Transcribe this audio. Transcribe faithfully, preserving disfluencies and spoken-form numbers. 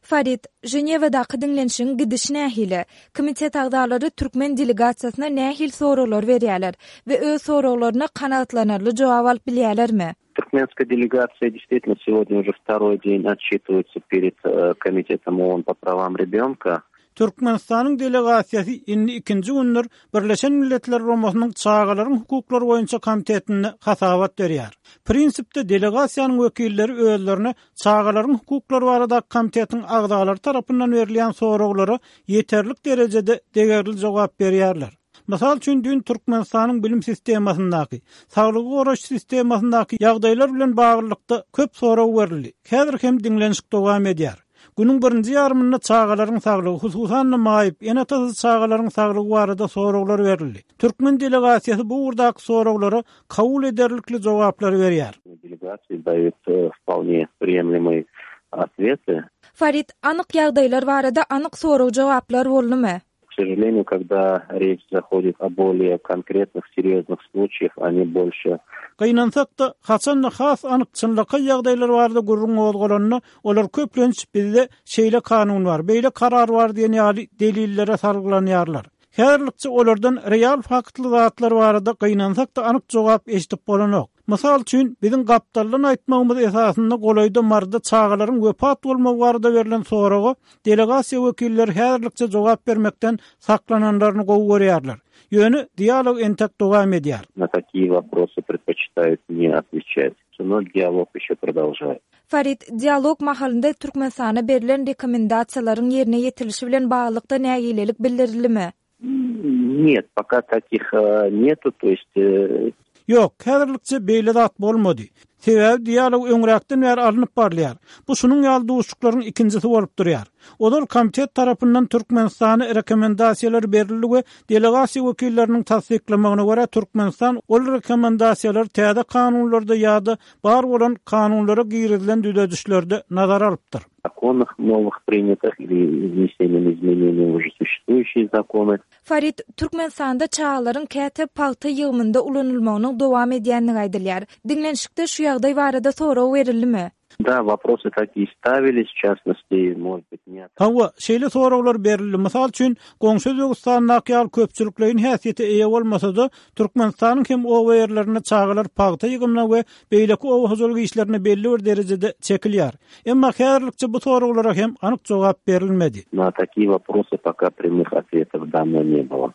Farid, Jenevadaki dinlenişiň gidiş nähili, komitet agdalary türkmen delegatsiýasyna nähil soralar berýärler we öz soraglaryna kanatlanarly jogap alyp bilýärlermi? Туркменская делегация действительно сегодня уже второй день отчитывается перед э, комитетом ООН по правам ребенка. Türkmenistanyň delegasiýasy indi ikinji günler Birleşen Milletler Romasynyň çağalaryň hukuklary boýunça komitetine hasabat berýär. Prinsipde delegasiýanyň wekilleri özlerine çağalaryň hukuklary barada komitetiň agdalary tarapyndan berilýän soraglary ýeterlik derejede degerli jogap berýärler. Masal üçin dün Türkmenistanyň bilim sistemasyndaky, saglygy goraş sistemasyndaky ýagdaýlar bilen baglykda köp sorag berildi. Häzir hem dinlenişik dowam edýär. Günün birinji ýarmynda çağalaryň saglygy, hususan maýyp, ýene tazy çağalaryň saglygy barada soraglar berildi. Türkmen delegasiýasy bu urdaky soraglary kabul ederlikli jogaplary berýär. Делегации дают вполне приемлемые ответы. Farid, anyk ýagdaýlar barada anyk sorag jogaplar boldymy? К сожалению, когда речь заходит о более конкретных, серьезных случаях, они больше... Gynansak da, haçan has anyk çynlyka ýagdaýlar barada gurrun bolgolanyny, olar köplenç bizde şeýle kanun bar, beýle karar bar diýen ýaly delillere sarglanýarlar. Häzirlikçe olardan real faktly zatlar barada gynansak da anyk jogap eşdip bolanok. Masal üçin biziň gapdalyň aýtmagymyz esasynda golaýda marda çağalaryň wepat bolmagy barada berilen soragy delegasiýa wekilleri häzirlikçe jogap bermekden saklananlaryny gowy görýärler. Ýöne dialog entek dowam edýär. На такие вопросы предпочитают не отвечать, но диалог еще продолжает. Farid, dialog mahalynda Türkmenistana berilen rekomendasiýalaryň ýerine ýetilişi bilen baglyqda nägilelik bildirilimi? Нет, пока таких э, нету, то есть... Э... Yok, häzirlikçe beýle zat bolmady. Sebäbi dialog öňräkden bäri alınıp barlýar. Bu şunuň ýaly duşuklaryň ikincisi bolup durýar. Olar komitet tarapyndan Türkmenistana rekomendasiýalar berildi we delegasiýa wekilleriniň tasdiklamagyna görä Türkmenistan ol rekomendasiýalary täze kanunlarda ýa-da bar bolan kanunlara girilen düzedişlerde nazar alypdyr. Законах новых принятых или внесением изменений в уже существующие законы. Farid, Türkmenistanda çağalaryň käte palta ýygmynda ulanylmagynyň dowam edýänini aýdylýar. Dinlenişikde şu ýagdaý barada sorag berildimi? Да, вопросы такие ставились, в частности, может быть, нет. Hawa, şeýle soraglar berildi. Mysal üçin, goňşy Özbegistanyň ýaly köpçüliklerin häsiýeti eýe bolmasa-da, Türkmenistanyň hem o ýerlerine çağalar palta ýygymna we beýleki owa huzurly işlerine belli bir derejede çekilýär. Emma häzirlikçe bu soraglara hem anyk jogap berilmedi. На такие вопросы пока прямых ответов дано не было.